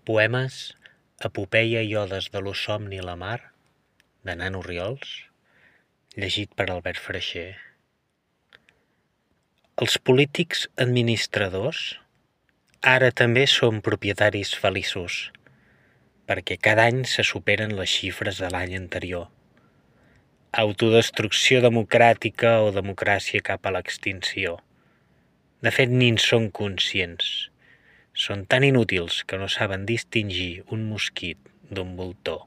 Poemes, epopeia i odes de lo somni i la mar, de Nano Riols, llegit per Albert Freixer. Els polítics administradors ara també són propietaris feliços, perquè cada any se superen les xifres de l'any anterior. Autodestrucció democràtica o democràcia cap a l'extinció. De fet, ni en són conscients. Són tan inútils que no saben distingir un mosquit d'un voltor.